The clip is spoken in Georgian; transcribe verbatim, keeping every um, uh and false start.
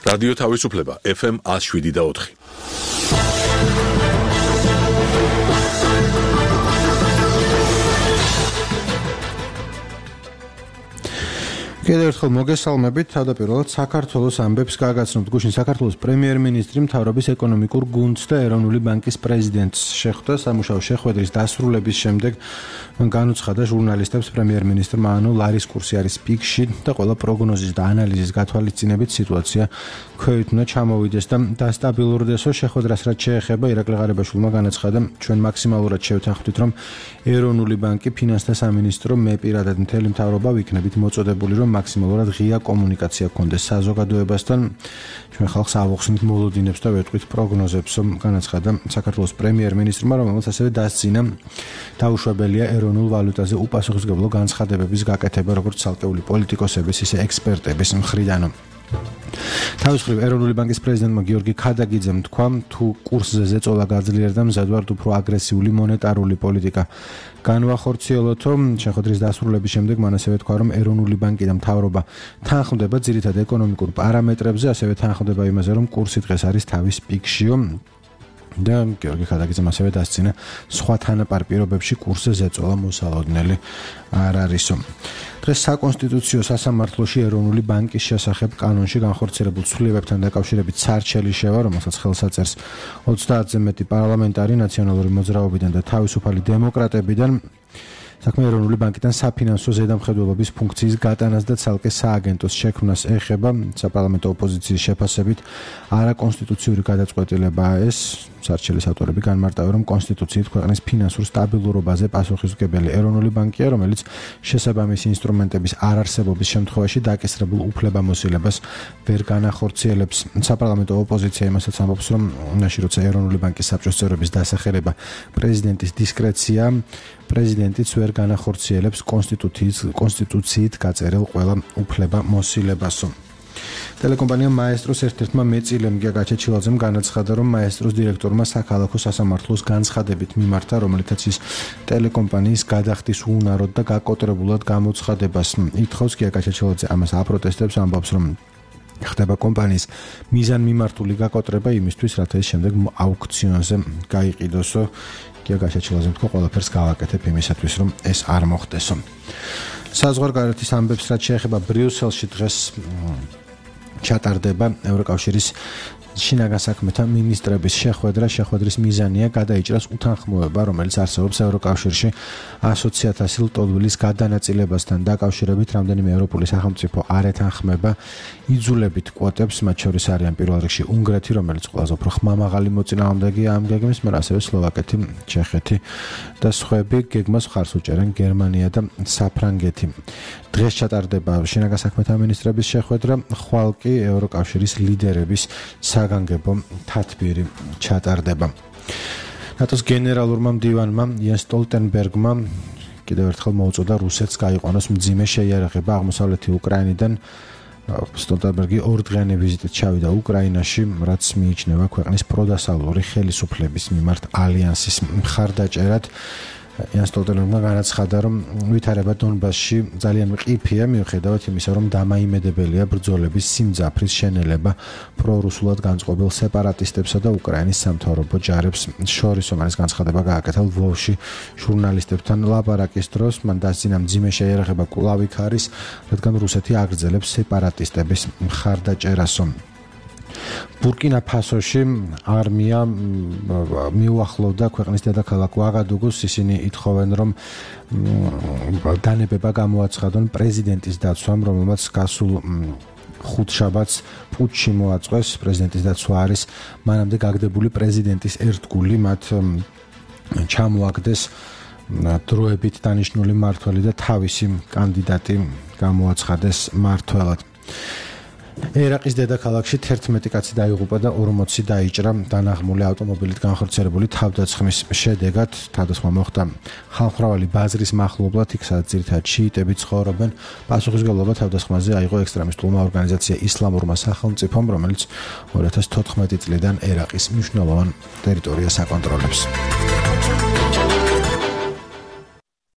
რადიო თავისუფლება ეფ ემ one oh seven და four. კიდევ ერთხელ მოგესალმებით. თავდაპირველად საქართველოს ამბებს გააგაცნობთ გუშინ საქართველოს პრემიერ-მინისტრი მთავრობის ეკონომიკურ გუნდს და ეროვნული ბანკის პრეზიდენტს შეხვდა. სამუშაო შეხვედრის დასრულების შემდეგ განუცხადა ჟურნალისტებს პრემიერ-მინისტრმა ანუ ლარის კურსი არის პიკში და ყველა პროგნოზის და ანალიზის გათვალისწინებით სიტუაცია ქვევით უნდა ჩამოვიდეს და დასტაბილურდესო. შეხვედრას რაც შეეხება ირაკლი ღარიბაშვილმა განაცხადა, ჩვენ მაქსიმალურად შევთანხმდით, რომ ეროვნული ბანკი, ფინანსთა სამინისტრო, მე პირადად მთელი მთავრობა ვიქნებით მოწოდებული, რომ მაქსიმალურად ღია კომუნიკაცია გქონდეს საზოგადოებასთან. ჩვენ ხალხს ავუხსნით მოლოდინებს და ვეტყვით პროგნოზებს, განაცხადა საქართველოს პრემიერ-მინისტრმა, რომელმაც ასევე დასძინა დაუშვებელია ეროვნულ ვალუტაზე უპასუხისმგებლო განცხადებების გაკეთება როგორც ცალკეული პოლიტიკოსების, ისე ექსპერტების მხრიდან. თავის მხრივ ეროვნული ბანკის პრეზიდენტმა გიორგი ქადაგიძემ თქვა, თუ კურსზე ზეწოლა გაძლიერდა, მზადვართ უფრო აგრესიული მონეტარული პოლიტიკა განვახორციელოთო. შეხვედრის დასრულების შემდეგ მან ასევე თქვა, რომ ეროვნული ბანკი და მთავრობა თანხმდება ძირითად ეკონომიკურ პარამეტრებზე, ასევე თანხმდება იმაზე, რომ კურსი დღეს არის თავის პიკშიო. და გიორგი ქადაგიძემ ასევე დასცინა სხვა თანაპარ პირობებში კურსზე ზეწოლა მოსალოდნელი არ არისო. დღეს საკონსტიტუციო სასამართლოში ეროვნული ბანკის შესახებ კანონში განხორციელებულ ცვლილებებთან დაკავშირებით სარჩელი შევა, რომელსაც ხელს აწერს ოცდაათზე მეტი პარლამენტარი ნაციონალური მოძრაობიდან და თავისუფალი დემოკრატებიდან. საქმე ეროვნული ბანკიდან საფინანსო ზედამხედველობის ფუნქციის გატანას და ცალკე სააგენტოს შექმნას ეხება. საპარლამენტო ოპოზიციის შეფასებით არაკონსტიტუციური გადაწყვეტილებაა ეს. სარჩელის ავტორები განმარტავენ, რომ კონსტიტუციით ქვეყნის ფინანსურ სტაბილურობაზე პასუხისმგებელი ეროვნული ბანკია, რომელიც შესაბამისი ინსტრუმენტების არარსებობის შემთხვევაში დაკისრებულ უფლებამოსილებას ვერ განახორციელებს. საპარლამენტო ოპოზიცია იმასაც ამბობს, რომ ნაში როცა ეროვნული ბანკის საბჭოს წევრების დასახელება პრეზიდენტის დისკრეცია, პრეზიდენტიც ვერ განახორციელებს კონსტიტუციის კონსტიტუციით გაწერილ ყველა უფლებამოსილებასო. ტელეკომპანია მაესტროს ერთ-ერთმა მეწილემ გია გაჩეჩილაძემ განაცხადა, რომ მაესტროს დირექტორმა საქალაქო სასამართლოს განცხადებით მიმართა, რომელთაც ის ტელეკომპანიის გადახდის უუნაროდ და გაკოტრებულად გამოცხადებას ითხოვს. გია გაჩეჩილაძე ამას აპროტესტებს, ამბობს, რომ ხდება კომპანიის მიზანმიმართული გაკოტრება იმისთვის, რათა ის შემდეგ აუქციონზე გაიყიდოსო. გია გაჩეჩილაძემ თქვა, ყველაფერს გავაკეთებ იმისათვის, რომ ეს არ მოხდესო. საზღვარგარეთის ამბებს რაც შეეხება ბრიუსელში დღეს ჩატარდება ევროკავშირის შინაგან საქმეთა მინისტრების შეხვედრა. შეხვედრის მიზანია გადაიჭრას უთანხმოება, რომელიც არსებობს ევროკავშირში ასოციაციას ლტოლვილის გადანაწილებასთან დაკავშირებით. რამდენიმე ევროპული სახელმწიფო არ ეთანხმება იძულებით კვოტებს, მათ შორის არიან პირველ რიგში უნგრეთი, რომელიც ყველაზე უფრო ხმამაღალი მოწინააღმდეგეა ამ გეგმის, მაგრამ ასევე სლოვაკეთი, ჩეხეთი და სხვები. გეგმას მხარს უჭერენ გერმანია და საფრანგეთი. დღეს ჩატარდება შინაგან საქმეთა მინისტრების შეხვედრა, ხვალ კი ევროკავშირის ლიდერების საგანგებო თათბირი ჩატარდება. ნატოს გენერალურმა მდივანმა იენს სტოლტენბერგმა კიდევ ერთხელ მოუწოდა რუსეთს გაიყვანოს მძიმე შეიარაღება აღმოსავლეთი უკრაინიდან. სტოლტენბერგი ორდღიანი ვიზიტით ჩავიდა უკრაინაში, რაც მიიჩნევა ქვეყნის პროდასალური ხელისუფლების მიმართ ალიანსის მხარდაჭერად. იენს სტოლტენბერგმა განაცხადა, რომ ვითარება დონბასში ძალიან მყიფეა, მიუხედავად იმისა, რომ დამაიმედებელია ბრძოლების სიმძაფრის შენელება პრორუსულად განწყობილ სეპარატისტებსა და უკრაინის სამთავრობო ჯარებს შორის. ამის განცხადება გააკეთა ლვოვში ჟურნალისტებთან ლაპარაკის დროს. მან დასძინა მძიმე შეიარაღება კვლავ იქ არის, რადგან რუსეთი აგრძელებს სეპარატისტების მხარდაჭერასო. ბურკინა ფასოში არმია მიუახლოვდა ქვეყნის დედაქალაქ უაგადუგუს. ისინი ითხოვენ, რომ დანებება გამოაცხადონ პრეზიდენტის დაცვამ, რომელმაც გასულ ხუთშაბათს პუტჩი მოაწყვეს. პრეზიდენტის დაცვა არის მანამდე გაგდებული პრეზიდენტის ერთგული, მათ ჩამოაგდეს დროებით დანიშნული მმართველი და თავისი კანდიდატი გამოაცხადეს მმართველად. ერაყის დედაქალაქში თერთმეტი კაცი დაიღუპა და ორმოცი დაიჭრა დანაღმული ავტომობილით განხორციელებული თავდასხმის შედეგად. თავდასხმა მოხდა ხალხმრავალი ბაზრის მახლობლად, იქ სადაც ძირითადად შიიტები ცხოვრობენ. პასუხისმგებლობა თავდასხმაზე აიღო ექსტრემისტულმა ორგანიზაცია ისლამურმა სახელმწიფომ, რომელიც ორი ათას თოთხმეტი წლიდან ერაყის მნიშვნელოვან ტერიტორიას აკონტროლებს.